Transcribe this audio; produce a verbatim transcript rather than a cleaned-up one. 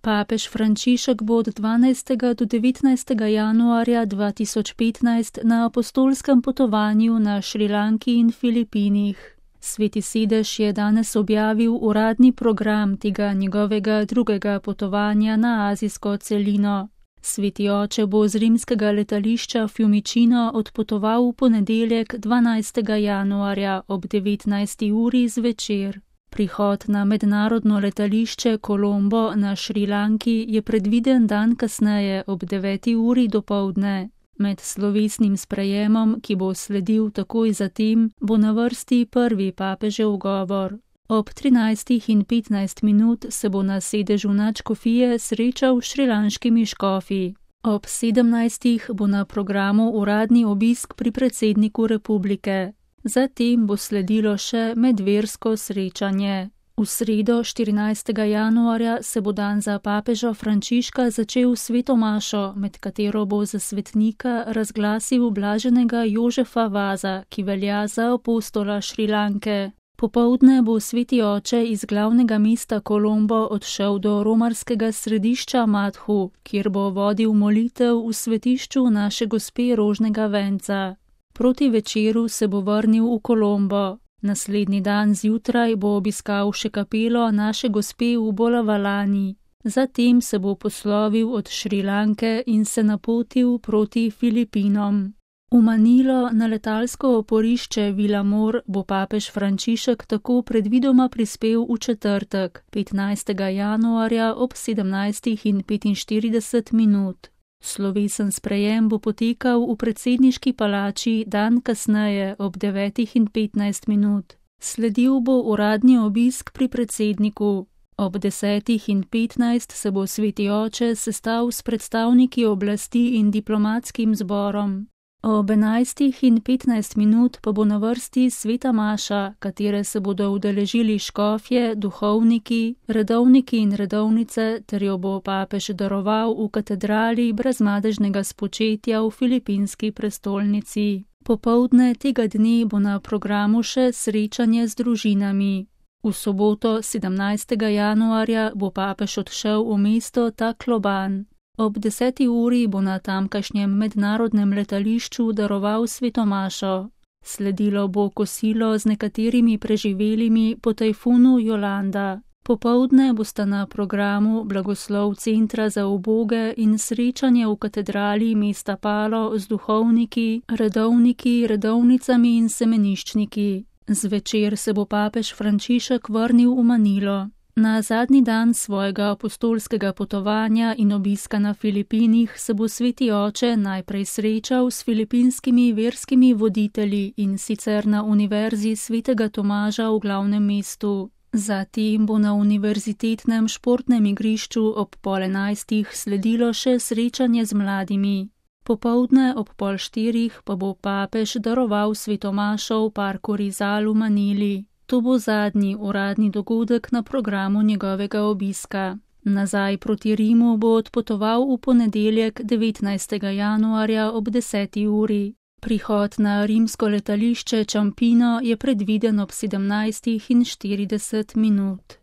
Papež Frančišek bo od dvanajstega do devetnajstega januarja dva tisoč petnajst na apostolskem potovanju na Šrilanki in Filipinih. Sveti sedež je danes objavil uradni program tega njegovega drugega potovanja na azijsko celino. Sveti oče bo z rimskega letališča Fiumicino odpotoval v ponedeljek dvanajstega januarja ob devetnajsti uri zvečer. Prihod na mednarodno letališče Colombo na Šrilanki je predviden dan kasneje ob deveti uri dopoldne. Med slovesnim sprejemom, ki bo sledil takoj zatem, bo na vrsti prvi papežev govor. Ob trinajstih in petnajst minut se bo na sedežu nadškofije srečal s šrilanškimi škofi. Ob sedemnajstih bo na programu uradni obisk pri predsedniku republike. Zatem bo sledilo še medversko srečanje. V sredo štirinajstega januarja se bo dan za papeža Frančiška začel sveto mašo, med katero bo za svetnika razglasil blaženega Jožefa Vaza, ki velja za apostola Šrilanke. Popoldne bo sveti oče iz glavnega mesta Colombo odšel do romarskega središča Madhu, kjer bo vodil molitev v svetišču naše gospe Rožnega venca. Proti večeru se bo vrnil v Colombo. Naslednji dan zjutraj bo obiskal še kapelo naše gospe v Bolavalani. Zatem se bo poslovil od Šrilanke in se napotil proti Filipinom. V Manilo na letalsko oporišče Vilamor bo papež Frančišek tako predvidoma prispel v četrtek, petnajstega januarja ob sedemnajstih in petinštirideset minut. Slovesen sprejem bo potekal v predsedniški palači dan kasneje ob devetih in petnajst minut. Sledil bo uradni obisk pri predsedniku. Ob desetih in petnajst se bo sveti oče sestal s predstavniki oblasti in diplomatskim zborom. Ob enajstih in petnajst minut pa bo na vrsti sveta maša, katere se bodo udeležili škofje, duhovniki, redovniki in redovnice, ter jo bo papež daroval v katedrali brezmadežnega spočetja v filipinski prestolnici. Popoldne tega dne bo na programu še srečanje z družinami. V soboto sedemnajstega januarja bo papež odšel v mesto Tacloban. Ob deseti uri bo na tamkajšnjem mednarodnem letališču daroval sveto mašo. Sledilo bo kosilo z nekaterimi preživelimi po tajfunu Jolanda. Popoldne bosta na programu blagoslov centra za uboge in srečanje v katedrali mesta Palo z duhovniki, redovniki, redovnicami in semeniščniki. Zvečer se bo papež Frančišek vrnil v Manilo. Na zadnji dan svojega apostolskega potovanja in obiska na Filipinih se bo sveti oče najprej srečal s filipinskimi verskimi voditelji in sicer na Univerzi svetega Tomaža v glavnem mestu. Zatem bo na univerzitetnem športnem igrišču ob pol enajstih sledilo še srečanje z mladimi. Popoldne ob pol štirih pa bo papež daroval sveto mašo v parku Rizal v Manili. To bo zadnji uradni dogodek na programu njegovega obiska. Nazaj proti Rimu bo odpotoval v ponedeljek devetnajstega januarja ob deseti uri. Prihod na rimsko letališče Ciampino je predviden ob sedemnajstih in štirideset minut.